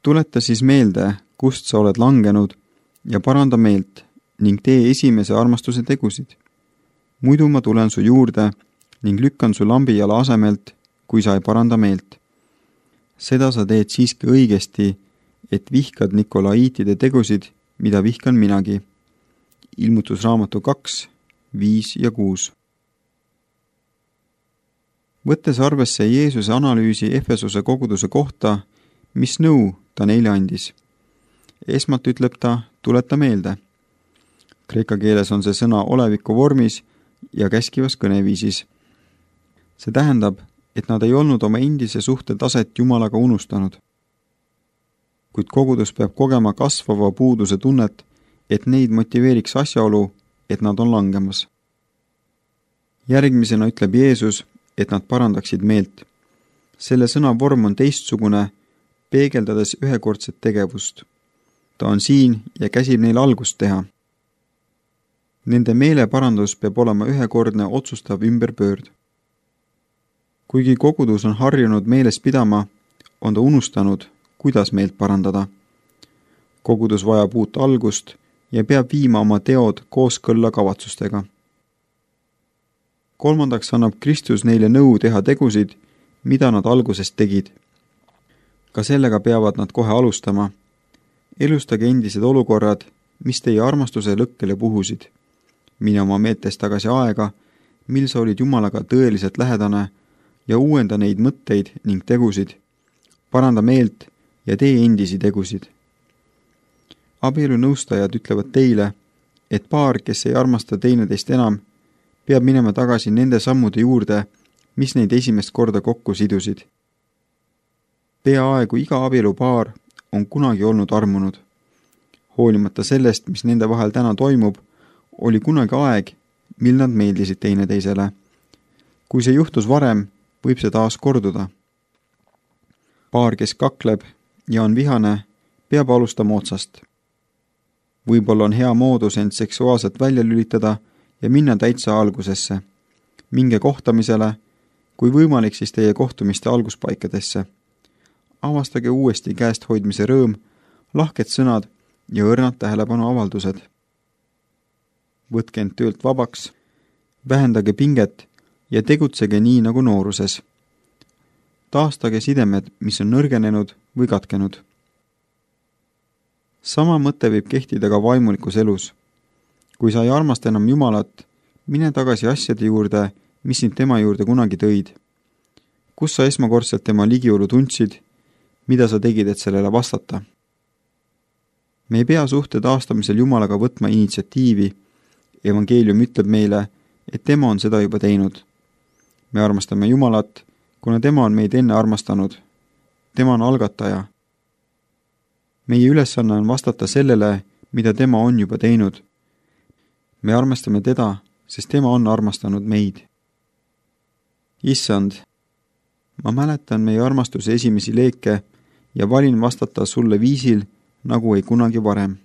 Tuleta siis meelde, kust sa oled langenud ja paranda meelt ning tee esimese armastuse tegusid. Muidu ma tulen su juurde ning lükkan su lambijala asemelt, kui sa ei paranda meelt. Seda sa teed siiski õigesti, et vihkad Nikolaiitide tegusid, mida vihkan minagi. Ilmutusraamatu 2, 5 ja 6. Võttes arvesse Jeesuse analüüsi Efesuse koguduse kohta, mis nõu ta neile andis. Esmalt ütleb ta, tuleta meelde. Kreeka keeles on see sõna oleviku vormis ja käskivas kõneviisis. See tähendab, et nad ei olnud oma endise suhte taset Jumalaga unustanud. Kuid kogudus peab kogema kasvava puuduse tunnet, et neid motiveeriks asjaolu, et nad on langemas. Järgmisena ütleb Jeesus, et nad parandaksid meelt. Selle sõna vorm on teistsugune, peegeldades ühekordset tegevust. Ta on siin ja käsib neil algust teha. Nende meeleparandus peab olema ühekordne otsustav ümberpöörd. Kuigi kogudus on harjunud meeles pidama, on ta unustanud, kuidas meelt parandada. Kogudus vajab uut algust ja peab viima oma teod kooskõlla kavatsustega. Kolmandaks annab Kristus neile nõu teha tegusid, mida nad algusest tegid. Ka sellega peavad nad kohe alustama. Elustage endised olukorrad, mis teie armastuse lõkkele puhusid. Mine oma meeltes tagasi aega, mil sa olid Jumalaga tõeliselt lähedane ja uuenda neid mõtteid ning tegusid. Paranda meelt ja tee endisi tegusid. Abielu nõustajad ütlevad teile, et paar, kes ei armasta teineteist enam, peab minema tagasi nende sammude juurde, mis neid esimest korda kokku sidusid. Peaaegu iga abielupaar on kunagi olnud armunud. Hoolimata sellest, mis nende vahel täna toimub, oli kunagi aeg, mil nad meeldisid teineteisele. Kui see juhtus varem, võib see taas korduda. Paar, kes kakleb ja on vihane, peab alustama otsast. Võib-olla on hea moodus end seksuaalselt välja lülitada ja minna täitsa algusesse. Minge kohtamisele, kui võimalik siis teie kohtumiste alguspaikadesse. Avastage uuesti käest hoidmise rõõm, lahked sõnad ja õrnad tähelepanu avaldused. Võtke end töölt vabaks, vähendage pinget ja tegutsege nii nagu nooruses. Taastage sidemed, mis on nõrgenenud või katkenud. Sama mõte võib kehtida ka vaimulikus elus. Kui sa ei armasta enam Jumalat, mine tagasi asjade juurde, mis sind tema juurde kunagi tõid. Kus sa esmakordselt tema ligiolu tundsid, mida sa tegid, et sellele vastata? Me ei pea suhte taastamisel Jumalaga võtma initsiatiivi. Evangeelium ütleb meile, et tema on seda juba teinud. Me armastame Jumalat, kuna tema on meid enne armastanud. Tema on algataja. Meie ülesanne on vastata sellele, mida tema on juba teinud. Me armastame teda, sest tema on armastanud meid. Issand, ma mäletan meie armastuse esimesi leeke ja valin vastata sulle viisil, nagu ei kunagi varem.